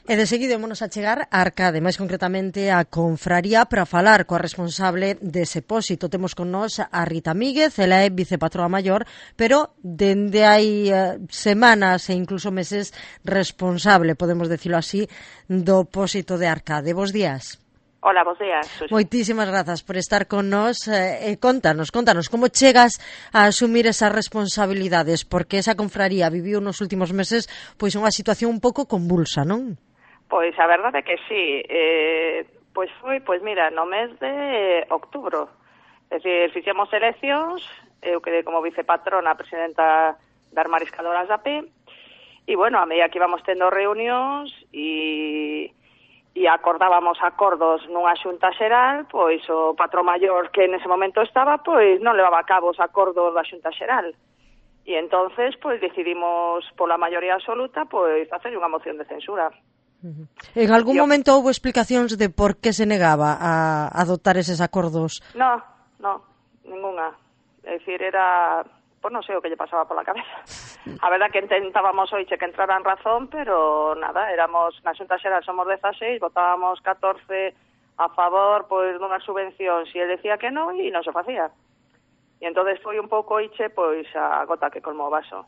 E de seguida ímonos a chegar a Arcade, máis concretamente a Confraría, para falar coa responsable dese pósito. Temos con nós a Rita Míguez, ela é vicepatroa maior, pero dende hai semanas e incluso meses responsable, podemos decirlo así, do pósito de Arcade. Bos días. Hola, bos días, Susi. Moitísimas grazas por estar con nós. Contanos, como chegas a asumir esas responsabilidades, porque esa confraría viviu nos últimos meses pois unha situación un pouco convulsa, non? Pois a verdade é que sí, pois mira, no mes de outubro, é dicir, fixemos eleccións, eu quedei como vicepatrona, presidenta das mariscadoras da P, e bueno, a medida que íbamos tendo reunións e acordábamos acordos nunha xunta xeral, pois o patrón maior que nese momento estaba, pois non levaba a cabo os acordos da xunta xeral. E entonces, pois decidimos pola maioría absoluta, pois facer unha moción de censura. En algún momento houve explicacións de por que se negaba a adoptar eses acordos? No, ninguna. É dicir, era... Pois non sei o que lle pasaba pola cabeza. A verdad que intentábamos hoxe que entrara en razón, pero nada, éramos, na Xunta Xeral somos 16, votábamos 14 a favor, pois, dunhas subvencións, e ele decía que non, e non se facía. E entonces foi un pouco hoxe, pois, a gota que colmou o vaso.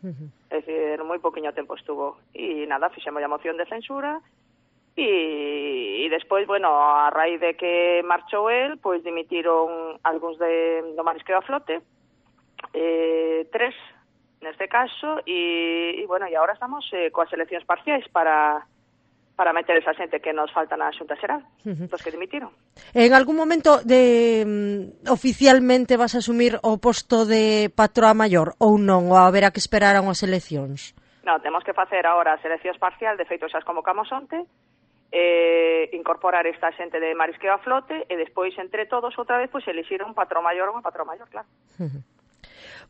É dicir, moi poquinho tempo estuvo. E nada, fixemos a moción de censura, e despois, bueno, a raíz de que marchou el, pois dimitiron algúns do marisqueo a flote, 3 neste caso, e bueno, e agora estamos coas eleccións parciais para meter esa xente que nos falta na Xunta Xeral, dos que dimitiron. En algún momento oficialmente vas a asumir o posto de patroa maior ou non, ou haberá que esperar a unhas eleccións? Non, temos que facer agora as eleccións parcial, de feito xas convocamos onte, incorporar esta xente de marisqueo a flote, e despois entre todos outra vez pois elixir un patrón maior ou unha patroa maior, claro.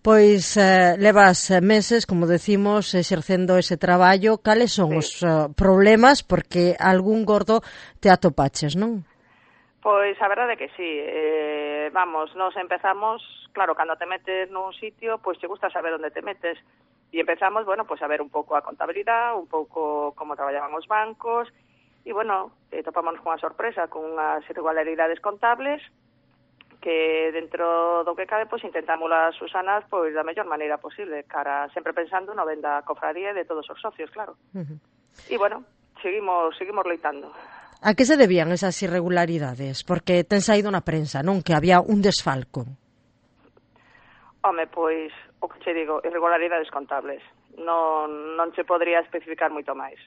Pois levas meses, como decimos, exercendo ese traballo. Cales son os problemas? Porque algún gordo te atopaches, non? Pois a verdade é que sí. Nos empezamos, claro, cando te metes nun sitio, pois te gusta saber onde te metes. E empezamos, bueno, pois a ver un pouco a contabilidade, un pouco como traballaban os bancos, e bueno, topámonos cunha sorpresa, con unhas irregularidades contables, que dentro do que cabe, pois intentamos as Susanas pois da mellor maneira posible, cara sempre pensando no ben da cofradía e de todos os socios, claro. E bueno, seguimos loitando. A que se debían esas irregularidades? Porque ten saído na prensa, non? Que había un desfalco. Home, pois, o que che digo, irregularidades contables. Non se podría especificar moito máis.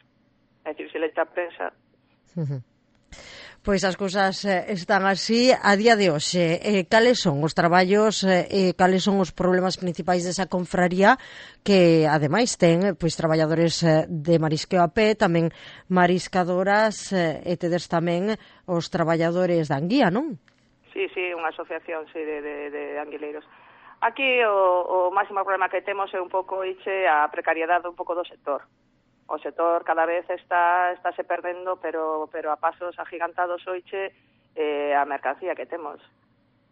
É dicir, se leite a prensa... Pois as cousas están así a día de hoxe. Cales son os traballos, cales son os problemas principais desa confraría, que ademais ten pois traballadores de marisqueo a pé, tamén mariscadoras, e tedes tamén os traballadores da Anguía, non? Sí, unha asociación de anguileiros. Aquí o máximo problema que temos é un pouco a precariedade un pouco do sector. O sector cada vez está se perdendo, pero a pasos agigantados hoxe a mercancía que temos.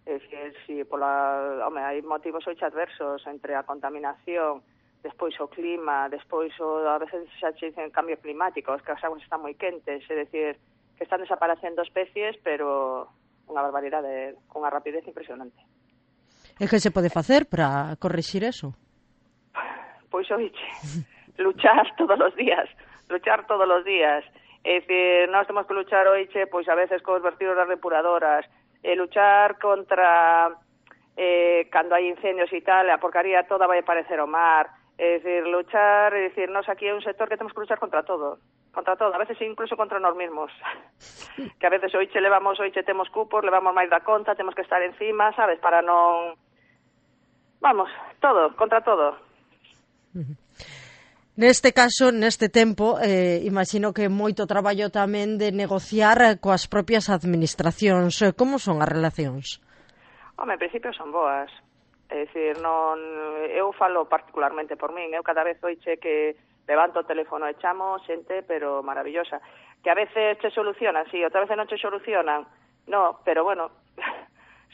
É dicir, hai motivos hoxe adversos entre a contaminación, despois o clima, despois a veces xa che dicen cambio climático, que as aguas están moi quentes, é dicir, que están desaparecendo especies, pero unha barbaridade, con unha rapidez impresionante. E que se pode facer para corrixir eso? Pois oiche... luchar todos os días. É dicir, nós temos que luchar hoxe, pois a veces cos vertidos das depuradoras, luchar contra cando hai incendios e tal, a porcaría toda vai aparecer ao mar, é dicir, nós aquí é un sector que temos que luchar contra todo, a veces incluso contra nós mesmos, que a veces hoxe temos cupos, levamos máis da conta, temos que estar encima, sabes, para non... Vamos, contra todo. Neste caso, neste tempo, imagino que moito traballo tamén de negociar coas propias administracións. Como son as relacións? Home, en principio son boas. É dicir, eu falo particularmente por min. Eu cada vez hoxe que levanto o teléfono e chamo xente, pero maravillosa. Que a veces che solucionan, sí, outra veces non che solucionan. No, pero bueno,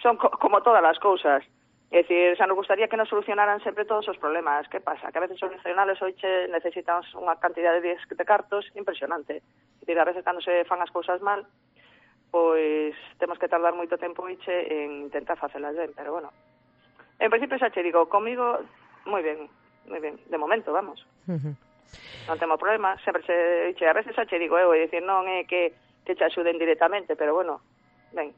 son como todas as cousas. É dicir, xa nos gustaría que nos solucionaran sempre todos os problemas. Que pasa? Que a veces os nacionales hoxe necesitan unha cantidad de cartos impresionante. A veces cando se fan as cousas mal, pois temos que tardar moito tempo en intentar facelas ben, pero bueno. En principio xa che digo, comigo moi ben, de momento, vamos. Non temos problema, sempre a veces xa che digo eu, é dicir, non é que te axuden directamente, pero bueno, ben.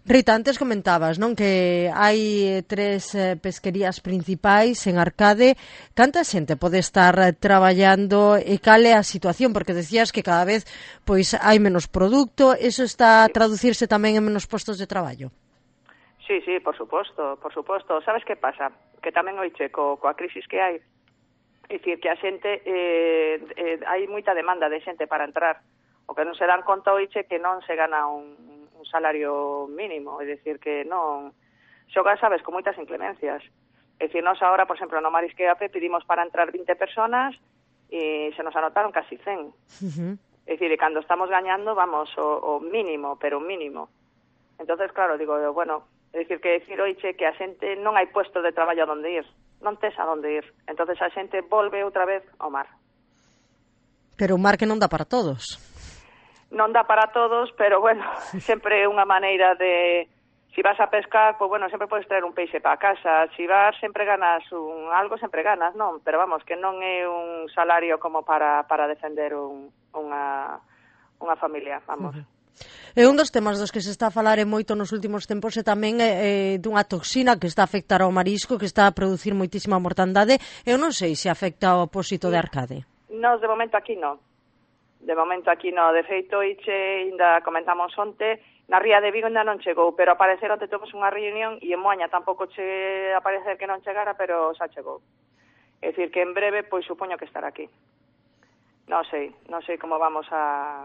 Rita, antes comentabas, non, que hai 3 pesquerías principais en Arcade. Canta xente pode estar traballando e cal é a situación? Porque decías que cada vez pois hai menos produto, eso está a traducirse tamén en menos postos de traballo? Sí, por suposto. Sabes que pasa? Que tamén oiche coa crisis que hai, é dicir, que a xente hai moita demanda de xente para entrar. O que non se dan conta oiche que non se gana un salario mínimo, é dicir, que non xoga, sabes, con moitas inclemencias. É dicir, nós agora, por exemplo, no Marisqueape pedimos para entrar 20 personas e se nos anotaron casi 100. É dicir, e cando estamos gañando, vamos, o mínimo, pero mínimo. Entonces, claro, digo, bueno, é dicir, oiche, que a xente non hai puesto de traballo a donde ir, non tes a donde ir. Entonces a xente volve outra vez ao mar. Pero o mar que non dá para todos. Non dá para todos, pero bueno, sempre é unha maneira de... Si vas a pescar, pues bueno, sempre podes traer un peixe para casa. Si vas, sempre ganas algo, sempre ganas, non? Pero vamos, que non é un salario como para defender unha familia, vamos. É un dos temas dos que se está a falar moito nos últimos tempos e tamén dunha toxina que está a afectar ao marisco, que está a producir moitísima mortandade. Eu non sei se afecta ao apósito de Arcade. Nos, de momento, aquí non. De momento aquí no, de feito, ainda comentamos onte, na Ría de Vigo ainda non chegou, pero a parecer onte temos unha reunión e en Moaña tampouco che a parecer que non chegara, pero xa chegou. É dicir, que en breve, pois supoño que estará aquí. Non sei como vamos a...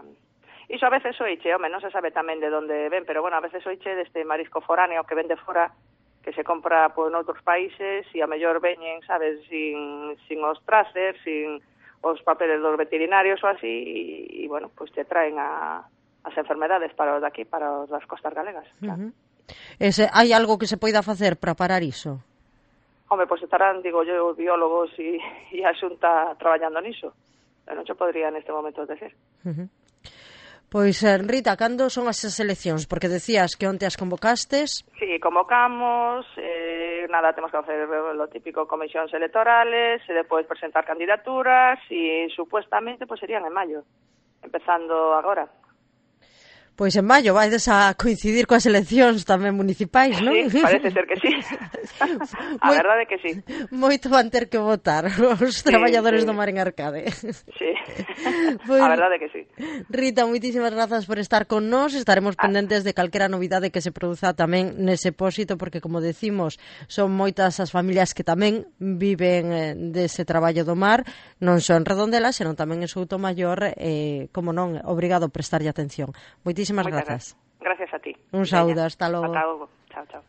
Iso a veces oiche, home, non se sabe tamén de onde ven, pero bueno, a veces oiche deste marisco foráneo que vende fora, que se compra por noutros países e a mellor veñen, sabes, sin os traces, sin os papeles dos veterinarios ou así, e bueno, pues te traen as enfermedades para os daqui, para os das costas galegas. Claro. Hai algo que se poida facer para parar iso? Home, pues estarán, digo yo, os biólogos e a Xunta traballando niso. Non se podría neste momento decir. Pois, Rita, cando son as eleccións? Porque decías que onte as convocastes. Sí, convocamos, nada, temos que facer lo típico, comisións electorales, e depois presentar candidaturas, e supuestamente pues serían en maio, empezando agora. Pois en maio vaides a coincidir coas eleccións tamén municipais, non? Sí, parece ser que sí. A verdade que sí. Moito van ter que votar os traballadores do mar en Arcade. Sí, pues, a verdade que sí. Rita, moitísimas grazas por estar con nós. Estaremos pendentes de calquera novidade que se produza tamén nese pósito, porque, como decimos, son moitas as familias que tamén viven dese traballo do mar, non só en Redondela, senón tamén en Soutomaior, como non, obrigado a prestarlle atención. Moitísimas grazas. Gracias a ti. Un saúdo, hasta logo. Ata logo. Chao, chao.